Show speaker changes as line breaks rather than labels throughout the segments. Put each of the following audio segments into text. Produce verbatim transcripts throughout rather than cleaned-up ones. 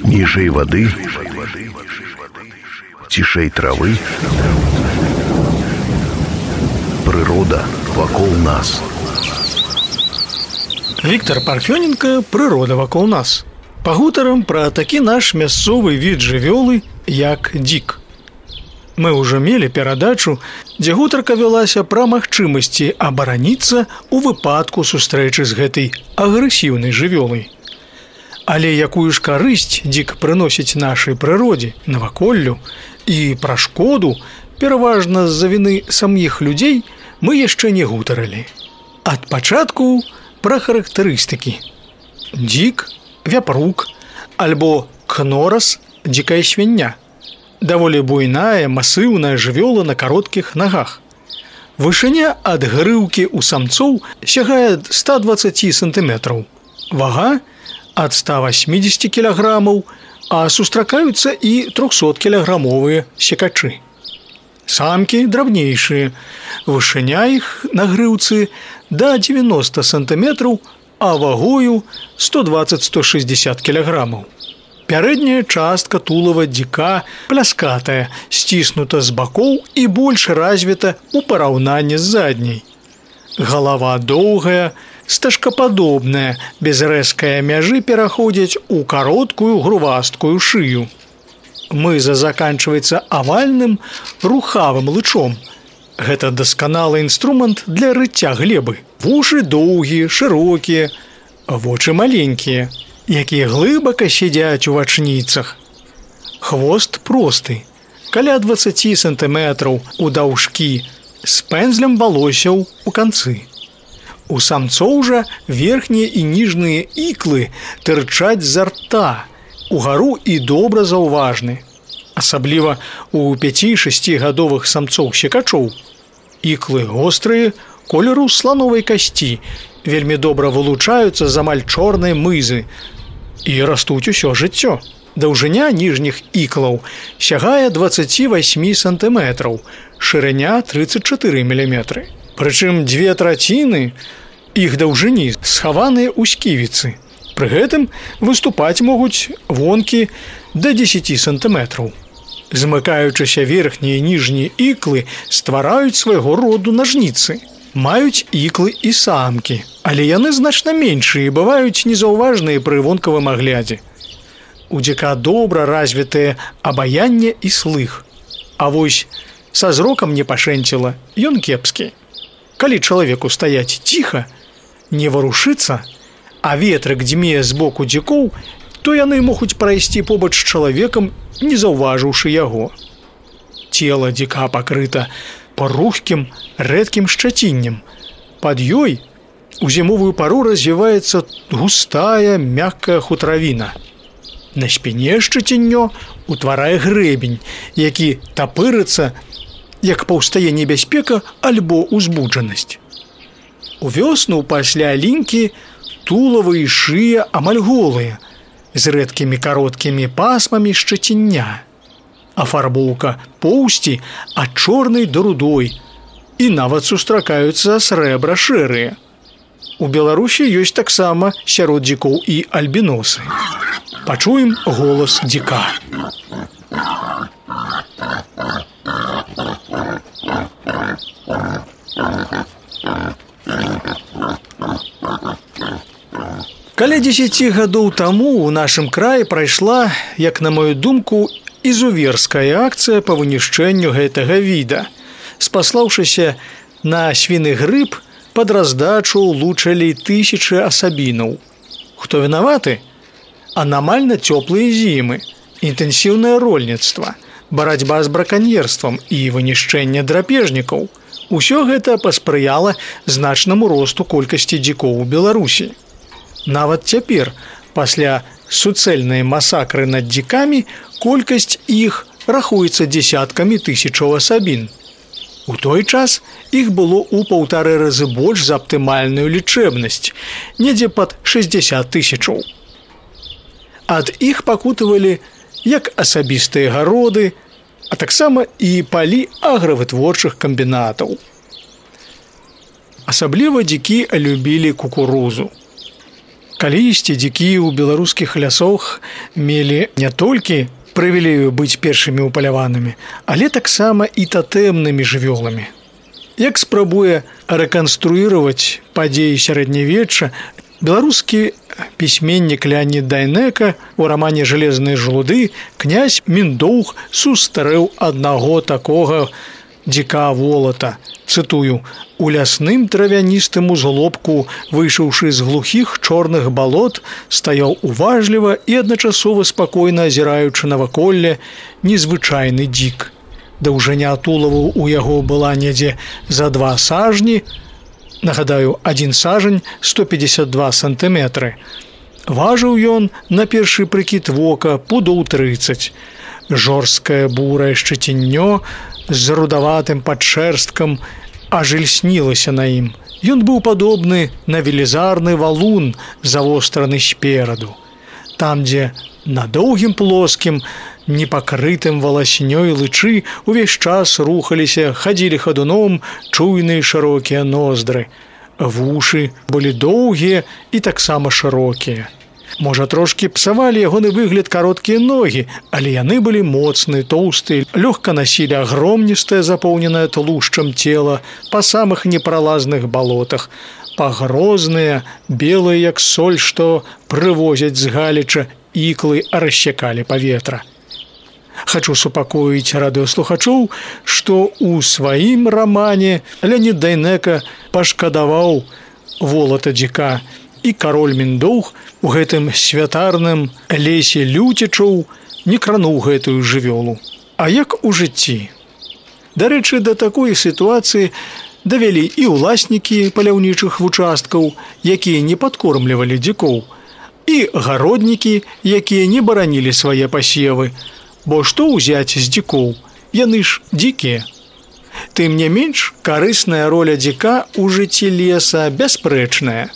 Ніжэй вады, цішэй травы, прырода вакол нас.
Віктор Парфёненко «Прырода вакол нас». Пагутарам пра такі наш мясцовы від жывёлы, як дзік. Мы ўжо мелі перадачу, дзе гутарка вялася пра магчымасці абараніцца ў выпадку сустрэчы з гэтай агрэсіўнай жывёлай. Але якую ж карысць дзік прыносіць нашай прыродзе, наваколлю і пра шкоду, пераважна з-за віны саміх людзей, мы яшчэ не гутарылі. Ад пачатку пра характарыстыкі. Дзік, вяпрук альбо кнорас, дзікая свіння. Даволі буйная, масыўная жывёла на кароткіх нагах. Вышыня ад грыўкі ў самцоў сягае ста дваццаць сантыметраў. Вага ад ста восьмідзесяці кілаграмаў, а сустракаюцца і трохсоткілаграмовыя секачы. Самкі драбнейшыя. Вышыня іх на грыўцы да дзевяноста сантыметраў, а вагою сто дваццаць - сто шэсцьдзесят кілаграмаў. Пярэдняя частка тулава дзіка пляскатая, сціснута з бакоў і больш развіта ў параўнанні з задняй. Галава доўгая, стажкападобная, без рэзкае мяжы пераходзіць у кароткую грувасткую шыю. Мыза заканчваецца авальным рухавым лычом. Гэта дасканалы інструмент для рыцця глебы. Вушы доўгія, шырокія, вочы маленькія, якія глыбака сядзяць у вачніцах. Хвост просты, каля дваццаць сантыметраў у даўжкі, з пэндзлем валосяў у канцы. У самцоў жа верхнія і ніжнія іклы тырчаць з рта, угару і добра заўважны. Асабліва у пяці-шасцігадовых самцоў-секачоў. Іклы вострыя, колеру слановай касці, вельмі добра вылучаюцца з амаль чорнай мызы і растуць усё жыццё. Даўжыня ніжніх іклаў сягае дваццаць восемь сантыметраў, шырыня трыццаць чатыры міліметры. Прычым дзве траціны іх даўжыні схаваныя ў сківіцы. Пры гэтым выступаць могуць вонкі да дзесяці сантыметраў. Змыкаючыся верхнія і ніжнія іклы ствараюць свайго роду нажніцы. Маюць іклы і самкі, але яны значна меншыя і бываюць незаўважныя пры вонкавым аглядзе. У дзіка добра развітае абаянне і слых. А вось са зрокам не пашэнціла, ён кепскі. Калі чалавеку стаяць ціха, не варушыцца, а ветрык дзьме з боку дзікоў, то яны могуць прайсці побач з чалавекам, не заўважыўшы яго. Цела дзіка пакрыта парухкім, рэдкім шчаціннем. Пад ёй у зімовую пару развіваецца густая, мяккая хутравіна. На спіне шчаціннё утварае грэбень, які тапырыцца, як паўстае небяспека альбо узбуджанасць. У вёсну пасля лінькі тулава і шыя амаль голыя, з рэдкімі кароткімі пасмамі шчаціння. Афарбоўка поўсці ад чорнай да рудой, і нават сустракаюцца срэбра шэрыя. У Беларусі ёсць таксама сярод дзікоў і альбіносы. Пачуем голас дзіка. Каля дзесяці гадоў таму ў нашым краі прайшла, як на маю думку, ізуверская акцыя па вынішчэнню гэтага віда. Спаслаўшыся на свіны грыб, пад раздачу лучалі тысячы асабінаў. Хто вінаваты? Анамальна цёплыя зімы, інтэнсіўнае рольніцтва, барацьба з браканьерствам і вынішчэнне драпежнікаў. Усё гэта паспрыяла значнаму росту колькасці дзікоў у Беларусі. Нават цяпер, пасля суцэльнай масакры над дзікамі, колькасць іх рахуецца дзесяткамі тысячаў асабін. У той час іх было ў паўтары разы больш за аптымальную лічэбнасць, недзе пад шэсцьдзесят тысячаў. Ад іх пакутавалі як асабістыя гароды, а таксама і палі агравытворчых камбінатаў. Асабліва дзікі любілі кукурузу. Калісьці дзікі ў беларускіх лясах мелі не толькі прывілею быць першымі упаляванымі, але таксама і татэмнымі жывёламі. Як спрабуе рэканструіраваць падзеі сярэднявечча беларускі пісьменнік Леонід Дайнека у рамане «Жалезныя жалуды» князь Міндоўг сустрэў аднаго такога дзіка волата. Цытую: «У лясным травяністым узлобку, выйшаўшы з глухіх чорных балот, стаяў уважліва і адначасова спакойна азіраючы наваколле незвычайны дзік. Даўжыня тулаву ў яго была недзе за два сажні, нагадаю, адзін сажань сто пятьдесят два сантыметры. Важыў ён, на першы прыкід вока, пудоў трыццаць. Жорсткае бурае шчаціннё з рудаватым падшэрсткам аж ільснілася на ім. Ён быў падобны на велізарны валун, завостраны спераду. Там, дзе на доўгім плоскім, непакрытым валаснёй лычы увесь час рухаліся, хадзілі хадуном чуйныя шырокія ноздры. Вушы былі доўгія і таксама шырокія. Можа, трошкі псавалі ягоны выгляд кароткія ногі, але яны былі моцныя, тоўстыя, лёгка насілі агромністае, запоўненае тлушчам цела па самых непралазных балотах, пагрозныя, белыя, як соль, што прывозяць з галіча, іклы рассякалі паветра. Хачу супакоіць радыёслухачоў, што ў сваім рамане Леонід Дайнека пашкадаваў волата дзіка, і кароль Міндоўг у гэтым святарным лесе люцічоў не крануў гэтую жывёлу. А як у жыцці? Дарэчы, да такой сітуацыі давялі і ўласнікі паляўнічых вучасткаў, якія не падкормлівалі дзікоў, і гароднікі, якія не баранілі свае пасевы. Бо што ўзяць з дзікоў? Яны ж дзікія. Тым не менш, карысная роля дзіка ў жыцці леса бясспрэчная.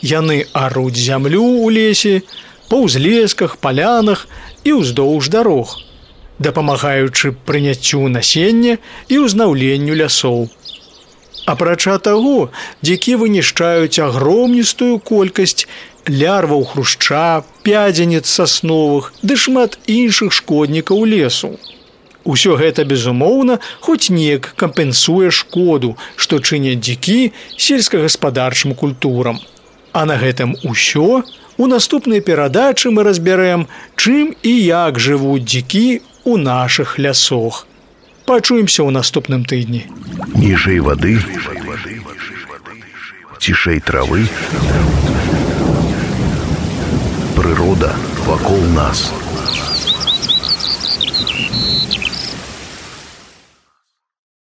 Яны аруць зямлю ў лесе, па ўзлесках, палянах і ўздоўж дарог, дапамагаючы прыняццю насення і ўзнаўленню лясоў. Апрача таго, дзікі вынішчаюць агромністую колькасць лярваў хрушча, пядзенец сасновых ды шмат іншых шкоднікаў лесу. Усё гэта, безумоўна, хоць неяк кампенсуе шкоду, што чыняць дзікі сельскагаспадарчым культурам. А на гэтым усё. У наступнай перадачы мы разбярэм, чым і як жывуць дзікі ў нашых лясах. Пачуемся ў наступным тыдні.
Ніжэй вады, цішэй травы, прырода вакол нас.